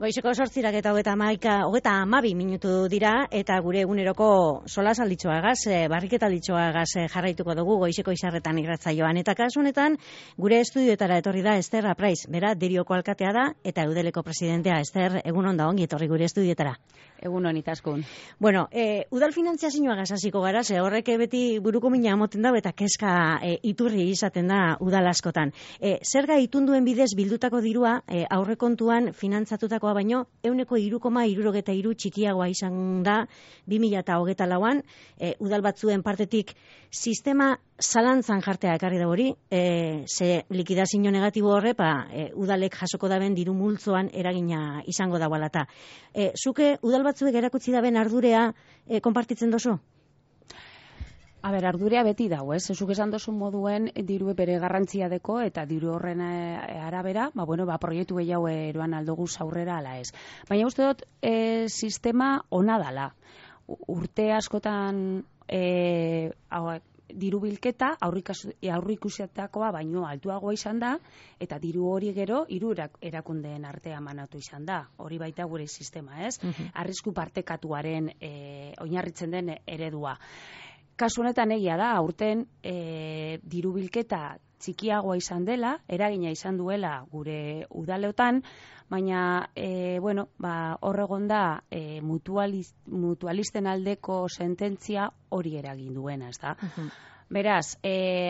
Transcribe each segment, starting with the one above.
Goizeko 8:32 minutu dira, eta gure eguneroko solasalditxoagaz, barriketalditxoagaz jarraituko dugu goizeko izarretan irratzaioan. Eta kasu honetan, gure estudioetara etorri da Ester Apraiz, bera Derioko alkatea da, eta Eudeleko presidentea. Ester, egun onda ongi etorri gure estudioetara. Egun hon itaskun. Bueno, udal finanziazioagaz hasiko gara, ze horrek beti buruko mina moten da, eta keska iturri izaten da udal askotan. Zerga itunduen bidez bildutako dirua aurrekontuan finantzatutakoa baino 1,63 txikiagoa izan da 2024an, udal batzuen partetik sistema zalantzan jartea ekarri da hori, ze likidazio negatibo horre, udalek jasoko daben diru multzoan eragina izango da balata. Zuke udal batzuek erakutsi daben ardurea konpartitzen dozu? Ardurea beti dago, ez? Zuk esan dozun moduen diru bere garrantzia deko eta diru horren arabera, proiektu gehiago eroan aldoguz aurrera ala ez. Baina uste dut sistema ona dala. Urte askotan diru bilketa aurrikusietakoa baino altuagoa izan da, eta diru hori gero hiru erakundeen artean manatu izan da. Hori baita gure sistema, ez? Arrisku partekatuaren oinarritzen den eredua. Kasu honetan egia da, aurten diru bilketa txikiagoa izan dela, eragina izan duela gure udaleotan, baina horregon da mutualisten aldeko sententzia hori eragin duena, ez da? Beraz,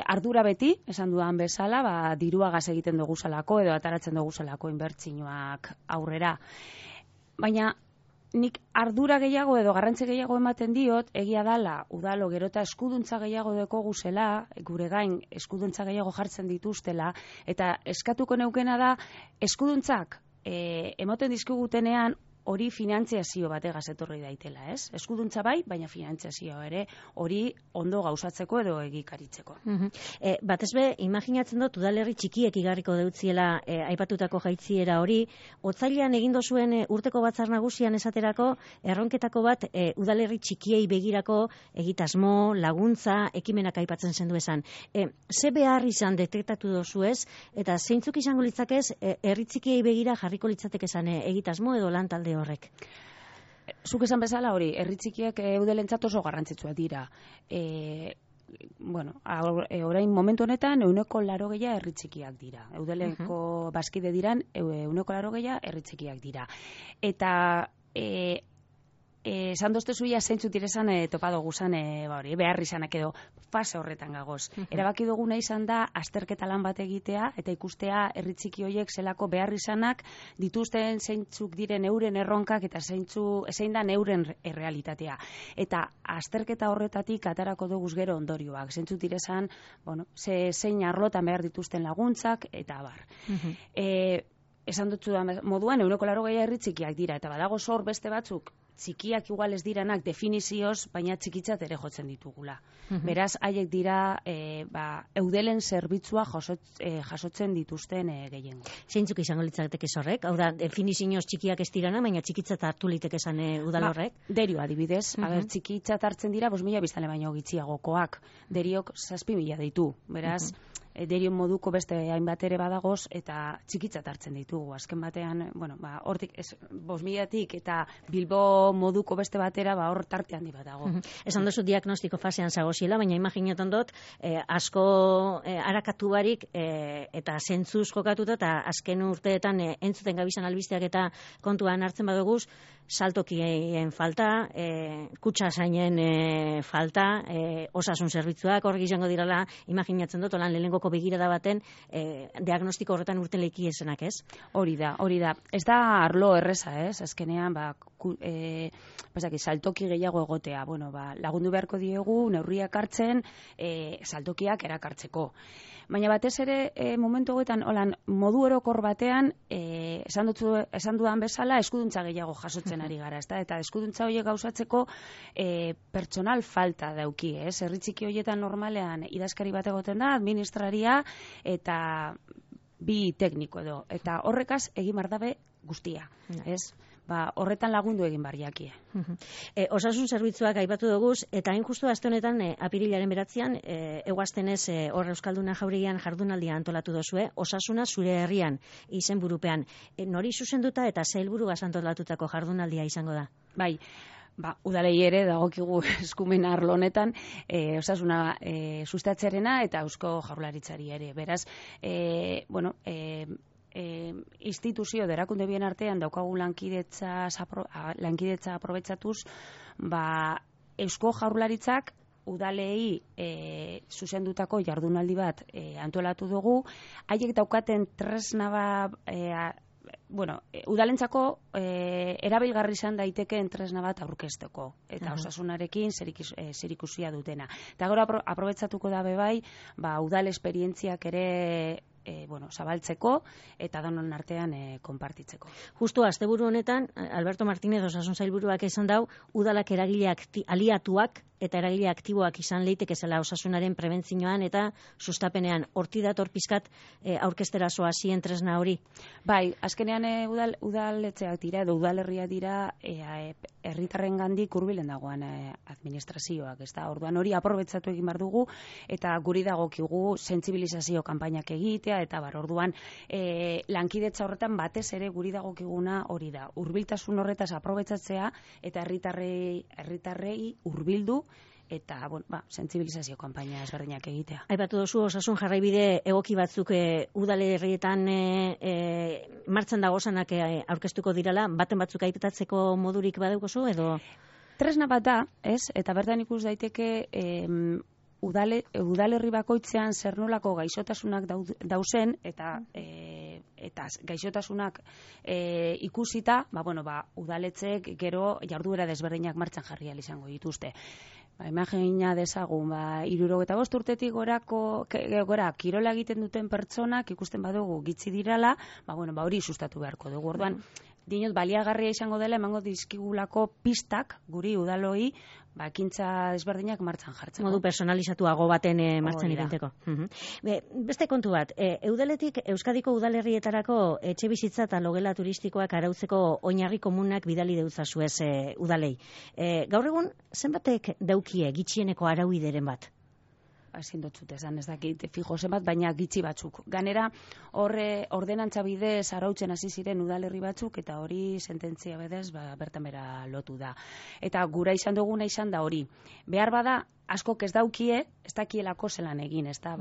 ardura beti, esan dudan bezala, diruagaz egiten dugu zelako edo ataratzen dugu zelako inbertsioak aurrera. Baina, nik ardura gehiago edo garrantzi gehiago ematen diot, egia dala, udalo gero eta eskuduntza gehiago dekogu zela, gure gain eskuduntza gehiago jartzen dituztela, eta eskatuko neukena da, eskuduntzak emoten dizkigutenean hori finantziazio bategaz etorri daitela, ez? Eskuduntza bai, baina finantziazioa ere hori ondo gauzatzeko edo egikaritzeko. Batez be, imaginatzen dut udalerri txikiek igarriko deutziela aipatutako jaitziera hori, otsailean egin dozuen urteko batzar nagusian esaterako, erronketako bat udalerri txikiei begirako egitasmo, laguntza, ekimenak aipatzen zendu esan. Ze behar izan detektatu dozu ez, eta zeintzuk izango litzakez, herri txikiei begira jarriko litzatek esan egitasmo edo lan talde horrek? Zuk esan bezala hori, herri txikiak eudelentzat oso garrantzitsuak dira. Orain momentu honetan 180 herri txikiak dira. Eudelenko bazkide diran 180 herri txikiak dira. Eta esan dozte zuia zeintzut direzan topado guzan behar izanak edo fase horretan gagoz. Erabaki duguna izan da azterketa lan bat egitea eta ikustea herri txiki horiek zelako behar izanak dituzten zeintzuk diren euren erronkak eta zein da euren errealitatea. Eta azterketa horretatik atarako duguz gero ondorioak. Zeintzuk direzan, zein arlotan behar dituzten laguntzak eta abar. Esan dutzu moduan 180 herri txikiak dira eta badago zor beste batzuk txikiak igual ez diranak definizioz, baina txikitzat ere jotzen ditugula. Beraz, haiek dira eudelen zerbitzua jasotzen dituzten gehiengo. Zeintzuk izango litzateke horrek? Hau da, definizioz txikiak ez dirana, baina txikitzat hartu liteke esan udal horrek? Derio adibidez, txikitzat hartzen dira 5.000 biztanle baino gitxiagokoak. Deriok 7.000 ditu. Beraz, Derion moduko beste hainbat ere badagoz eta txikitzat hartzen ditugu. Azken batean, hortik 5.000tik eta Bilbo moduko beste batera hor tarte handi bat dago. Esan duzu diagnostiko fasean zagoziela, baina imaginatzen dut asko arakatu barik eta zentzuz jokatuta eta azken urteetan entzuten gabizan albisteak eta kontuan hartzen baduguz, saltokien falta, kutxasainen falta, osasun zerbitzuak hor izango dirala, imaginatzen dut, olan lehenengoko begirada baten diagnostiko horretan urten leiki esenak, ez? Hori da. Ez da arlo erreza, ez? Azkenean, saltoki gehiago egotea. Lagundu beharko diegu, neurriak hartzen, saltokiak erakartzeko. Baina batez ere, momentu hogetan, modu orokor batean, esan dudan bezala, eskuduntza gehiago jasotzen ari gara, ezta? Eta eskuduntza horiek gauzatzeko pertsonal falta dauki, ez? Herri txiki horietan normalean idazkari bat egoten da, administraria eta bi tekniko edo. Eta horrekaz egin behar dabe guztia, ez? horretan lagundu egin barriakie. Osasun zerbitzuak aipatu duguz, eta hain justu aste honetan, apirilaren 9 eguaztenez hor Euskalduna Jauregian jardunaldia antolatu dozue, osasuna zure herrian izenburupean. Nori zuzenduta eta sailburuaz antolatutako jardunaldia izango da? Bai, udalei ere dagokigu eskumen arlo honetan osasuna sustatzearena eta Eusko Jaurlaritzari ere. Beraz, instituzio erakunde bien artean daukagu lankidetza aprobetxatuz, Eusko Jaurlaritzak udalei zuzendutako jardunaldi bat antolatu dugu, haiek daukaten tresna udalentzako erabilgarri izan daitekeen tresna bat aurkezteko eta osasunarekin zerikusia dutena. Eta gero aprobetxatuko da bebai, udal esperientziak ere zabaltzeko eta danon artean konpartitzeko. Justu asteburu honetan, Alberto Martínez osasun sailburuak esan dau, udalak eragileak aliatuak eta eragile aktiboak izan leiteke zela osasunaren prebentzioan eta sustapenean. Horti dator pizkat aurkeztera zoazien tresna hori? Bai, azkenean udaletxeak dira edo udalerriak dira herritarrengandik hurbilen dagoen administrazioak, ezta? Orduan hori aprobetxatu egin behar dugu eta guri dagokigu sentsibilizazio kanpainak egitea eta orduan lankidetza horretan batez ere guri dagokiguna hori da. Hurbiltasun horretaz aprobetxatzea eta herritarrei hurbildu eta sentsibilizazio kanpaina ezberdinak egitea. Aipatu duzu osasun jarraibide egoki batzuk udalerrietan martxan dagozanak aurkeztuko dirala, baten batzuk aipatatzeko modurik badaukozu edo? Tresna bat da, ez? Eta bertan ikus daiteke udalerri bakoitzean zer nolako gaixotasunak dauzen eta gaixotasunak ikusita, udaletxeek gero jarduera desberdinak martxan jarri ahal izango dituzte. Imagina dezagun, 65 urtetik gora kirola egiten duten pertsonak ikusten badugu gitzi dirala, hori sustatu beharko dugu. Orduan, dinot baliagarria izango dela emango dizkigulako pistak guri udaloi ekintza desberdinak martxan jartzen. Modu personalizatuago baten martxan irenteko. Beste kontu bat, Eudeletik Euskadiko udalerrietarako etxebizitza eta logela turistikoak arautzeko oinarri komunak bidali deutzazuez udalei. Gaur egun, zenbatek daukie gitxieneko arauideren bat? Ezin dotzut esan, ez dakit fijo zenbat, baina gitxi batzuk. Ganera, ordenantza bidez arautzen hasi ziren udalerri batzuk, eta hori sententzia bidez bertan bera lotu da. Eta gura izan duguna izan da hori. Behar bada, askok ez daukie, ez dakielako zelan egin, ez da,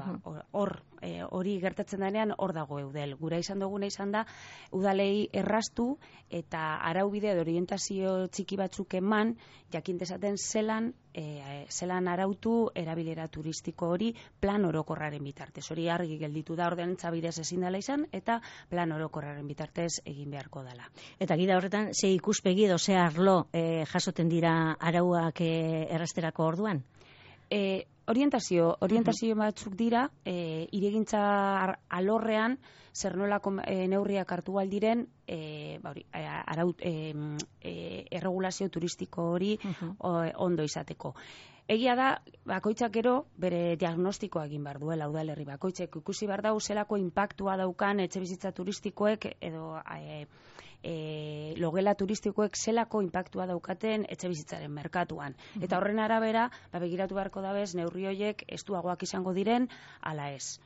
hori gertatzen denean hor dago eudel. Gura izan duguna izan da, udalei erraztu eta araubide edo orientazio txiki batzuk eman, jakin dezaten zelan arautu erabilera turistiko hori plan orokorraren bitartez. Hori argi gelditu da ordenantza bidez ezin dela izan, eta plan orokorraren bitartez egin beharko dela. Eta gida horretan, ze ikuspegi edo ze arlo jasoten dira arauak errazterako orduan? Orientazio batzuk dira, iregintza alorrean zer nolako neurriak hartu aldiren erregulazio turistiko hori ondo izateko. Egia da, bakoitzak gero bere diagnostikoa egin behar duela udalerri bakoitzek. Ikusi behar dau zelako inpaktua daukan etxebizitza turistikoek edo logela turistikoek zelako inpaktua daukaten etxebizitzaren merkatuan. Eta horren arabera, begiratu beharko dabez, neurri horiek estuagoak izango diren, ala ez.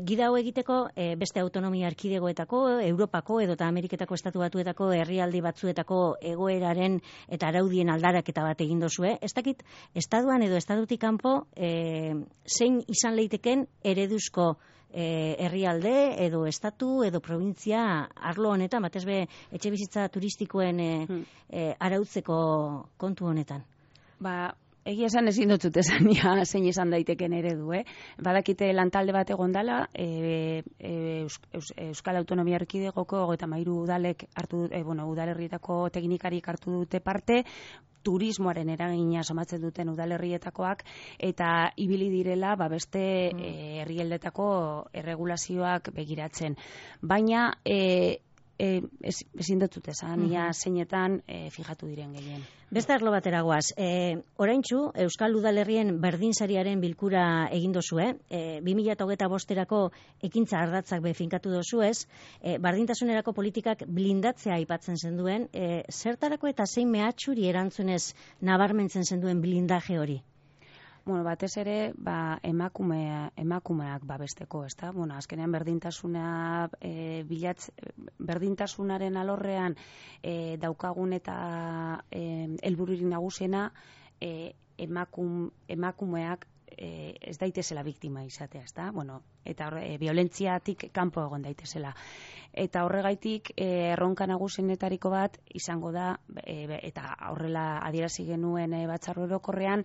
Gida hau egiteko beste autonomia erkidegoetako, Europako edo eta Ameriketako estatu batuetako herrialde batzuetako egoeraren eta araudien aldaraketa bat egin dozue. Ez dakit, estatuan edo estatutik kanpo zein izan leiteken ereduzko herrialde edo estatu edo provintzia arlo honetan, batez be etxebizitza turistikoen arautzeko kontu honetan? Egia esan ezin dut esan zein esan daiteken eredu, Badakite lantalde bat egon dela, Euskal Autonomia Erkidegoko 33 udalek udalerrietako teknikarik hartu dute parte, turismoaren eragina somatzen duten udalerrietakoak eta ibili direla beste herrialdetako erregulazioak begiratzen. Baina ezin dut esan, ia zeinetan fijatu diren gehien. Beste arlo batera goaz, oraintsu Euskal Udalerrien berdinzariaren bilkura egin dozue, 2025erako ekintza ardatzak befinkatu dozuez, berdintasunerako politikak blindatzea aipatzen zenduen, zertarako eta zein mehatxuri erantzunez nabarmentzen zenduen blindaje hori? Bueno, batez ere, emakumeak babesteko, ezta? Bueno, azkenean berdintasunaren alorrean daukagun eta helbururik nagusiena emakumeak ez daitezela biktima izatea, ezta? Bueno, eta violentziatik kanpo egon daitezela. Eta horregaitik erronka nagusienetariko bat izango da, eta horrela adierazi genuen batzar orokorrean,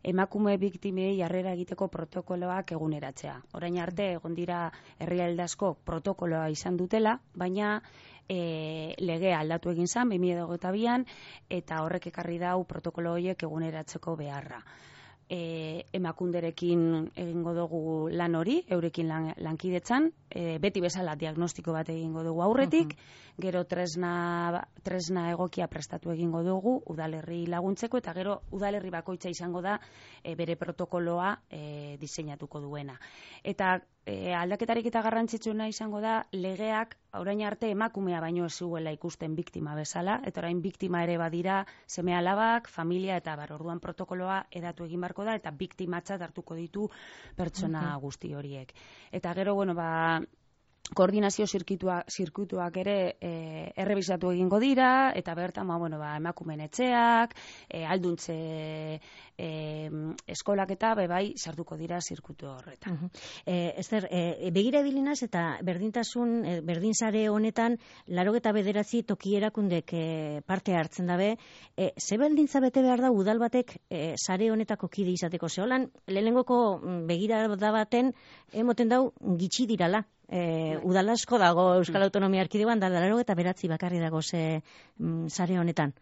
emakume biktimei harrera egiteko protokoloak eguneratzea. Orain arte egon dira herrialde asko protokoloa izan dutela, baina legea aldatu egin zen 2022an, eta horrek ekarri dau protokolo horiek eguneratzeko beharra. Emakunderekin egingo dugu lan hori, eurekin lankidetzan, beti bezala diagnostiko bat egingo dugu aurretik, gero tresna egokia prestatu egingo dugu udalerri laguntzeko, eta gero udalerri bakoitza izango da bere protokoloa diseinatuko duena. Eta aldaketarik eta garrantzitsuena izango da legeak orain arte emakumea baino ez zuela ikusten biktima bezala, eta orain biktima ere badira seme-alabak, familia eta orduan protokoloa edatu egin barko da, eta biktimatzat hartuko ditu pertsona guzti horiek. Eta gero, bueno, koordinazio zirkuituak ere errebisatu egingo dira, eta bertan emakumeen etxeak, alduntze eskolak eta bai sartuko dira zirkuitu horretan. Ester, begira bilinaz eta berdinzare honetan 89 toki erakundek parte hartzen dabe, ze baldintza bete behar da udal batek sare honetako kide izateko? Zeholan, lehenengoko begira da baten emoten dau gitxi dirala. Udal asko dago Euskal Autonomia Erkidegoan, da 89 bakarri dago sare honetan.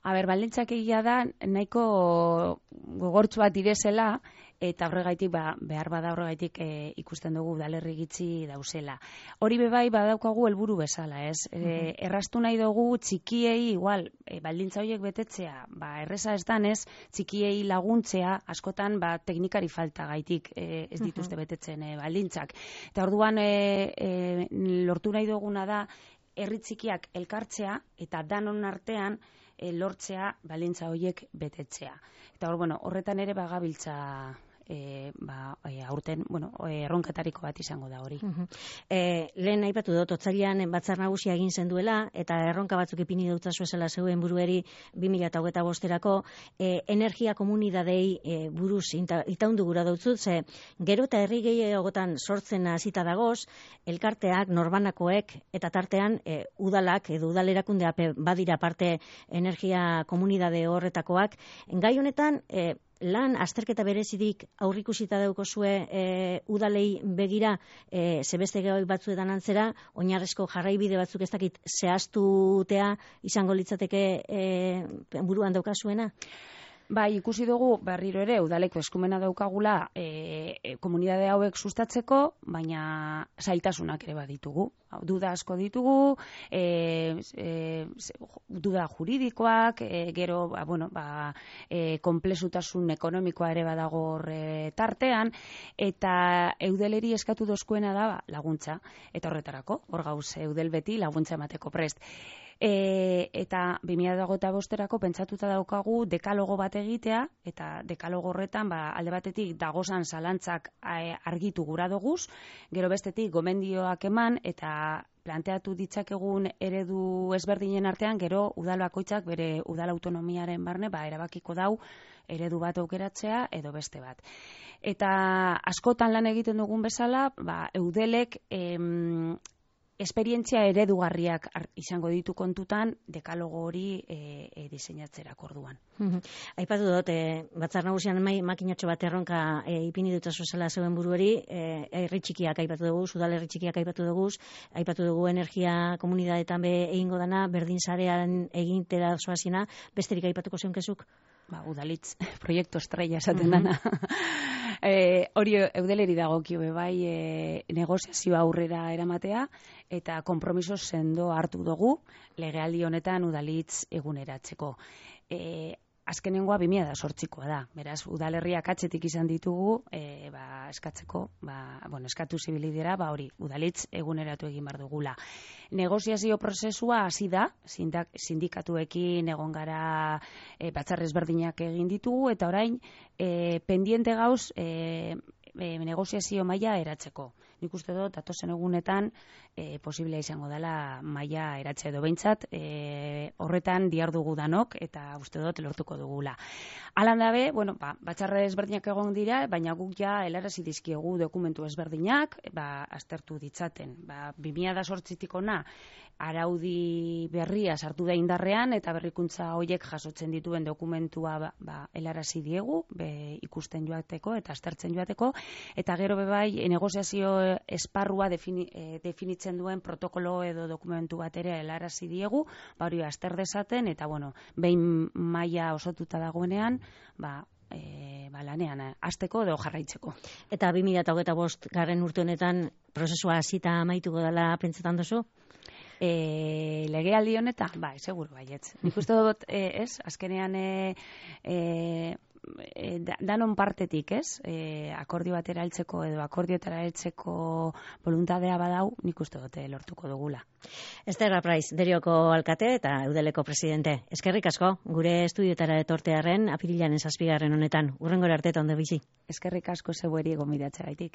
Baldintzak egia da nahiko gogortzu bat direzela, eta horregaitik behar bada horregaitik ikusten dugu udalerri gitxi dauzela. Hori bebai badaukagu helburu bezala, ez? Erraztu nahi dugu txikiei igual baldintza horiek betetzea, erreza ez danez, txikiei laguntzea askotan teknikari falta gaitik ez dituzte betetzen baldintzak. Eta orduan lortu nahi duguna da herri txikiak elkartzea eta danon artean lortzea baldintza horiek betetzea. Eta horretan ere bagabiltza aurten, erronketariko bat izango da hori. Lehen aipatu dut, otsailean batzar nagusia egin zen duela, eta erronka batzuk ipini dutzazu esela zeuen burueri 2025erako energia komunidadei buruz itaundu gura dutzut, ze gero eta herri gehiagotan sortzen hasita dagoz, elkarteak, norbanakoek, eta tartean udalak edo udalerakundea badira parte energia komunidade horretakoak. Gai honetan, lan azterketa berezidik aurrikusita daukozue udalei begira, zebeste gehoik batzuetan antzera, oinarrezko jarraibide batzuk ez dakit zehaztutea izango litzateke buruan daukazuena? Ikusi dugu berriro ere udaleko eskumena daukagula komunitate hauek sustatzeko, baina zailtasunak ere baditugu. Duda asko ditugu, duda juridikoak, gero konplexutasun ekonomikoa ere badago tartean, eta eudeleri eskatu dozkuena da laguntza, eta horretarako, hor gauz eudel beti laguntza emateko prest. Eta 2025erako pentsatuta daukagu dekalogo bat egitea, eta dekalogo horretan alde batetik dagozan zalantzak argitu gura doguz, gero bestetik gomendioak eman, eta planteatu ditzakegun eredu ezberdinen artean, gero udal bakoitzak bere udal autonomiaren barne erabakiko dau eredu bat aukeratzea edo beste bat. Eta askotan lan egiten dugun bezala, eudelek esperientzia eredugarriak izango ditu kontutan dekalogo hori diseinatzerak orduan. Aipatu dut, batzar nagusian makinatxo bat erronka ipini dutzazu zela zeuen buruari, herri txikiak aipatu dugu, udal herri txikiak aipatu dugu energia komunidadeetan egingo dana, berdin sarean egintera zoazina, besterik aipatuko zeunkezuk? udalitz proiektu estrella esaten dana. Hori eudeleri dagokio bai negoziazio aurrera eramatea eta konpromiso sendo hartu dugu legealdi honetan udalitz eguneratzeko. Azkenengoa 2008koa da. Beraz, udalerriak atzetik izan ditugu, eskatzeko, eskatu zibilidera, hori, udalitz eguneratu egin behar dugula. Negoziazio prozesua hasi da, sindikatuekin egon gara batzar ezberdinak egin ditugu, eta orain, pendiente gauz, negoziazio maila eratzeko. Nik uste dut, datozen egunetan, posiblea izango dela maila eratze edo behintzat, horretan diardugu danok, eta uste dut lortuko dugula. Alan dabe, batzarra ezberdinak egon dira, baina guk ja helarazi dizkiegu dokumentu ezberdinak, aztertu ditzaten. 2008tik ona, araudi berria sartu da indarrean, eta berrikuntza horiek jasotzen dituen dokumentua helarazi diegu, ikusten joateko eta aztertzen joateko, eta gero bai negoziazio esparrua definitzen duen protokolo edo dokumentu bat ere helarazi diegu, hori azter dezaten, eta behin maila osotuta dagoenean, lanean hasteko edo jarraitzeko. Eta 2025 garren urte honetan prozesua hasita amaituko dela pentsetan duzu? Legealdi honetan, seguru baietz. Nik uste dut, azkenean danon partetik, akordio batera heltzeko edo akordioetara heltzeko voluntadea badau, nik uste dute lortuko dugula. Ester Apraiz, Derioko alkate eta Eudeleko presidente. Eskerrik asko, gure estudiotara etortearren apirilaren 7. honetan. Hurrengora arte ondo bizi. Eskerrik asko zeueri gonbidatzea gaitik.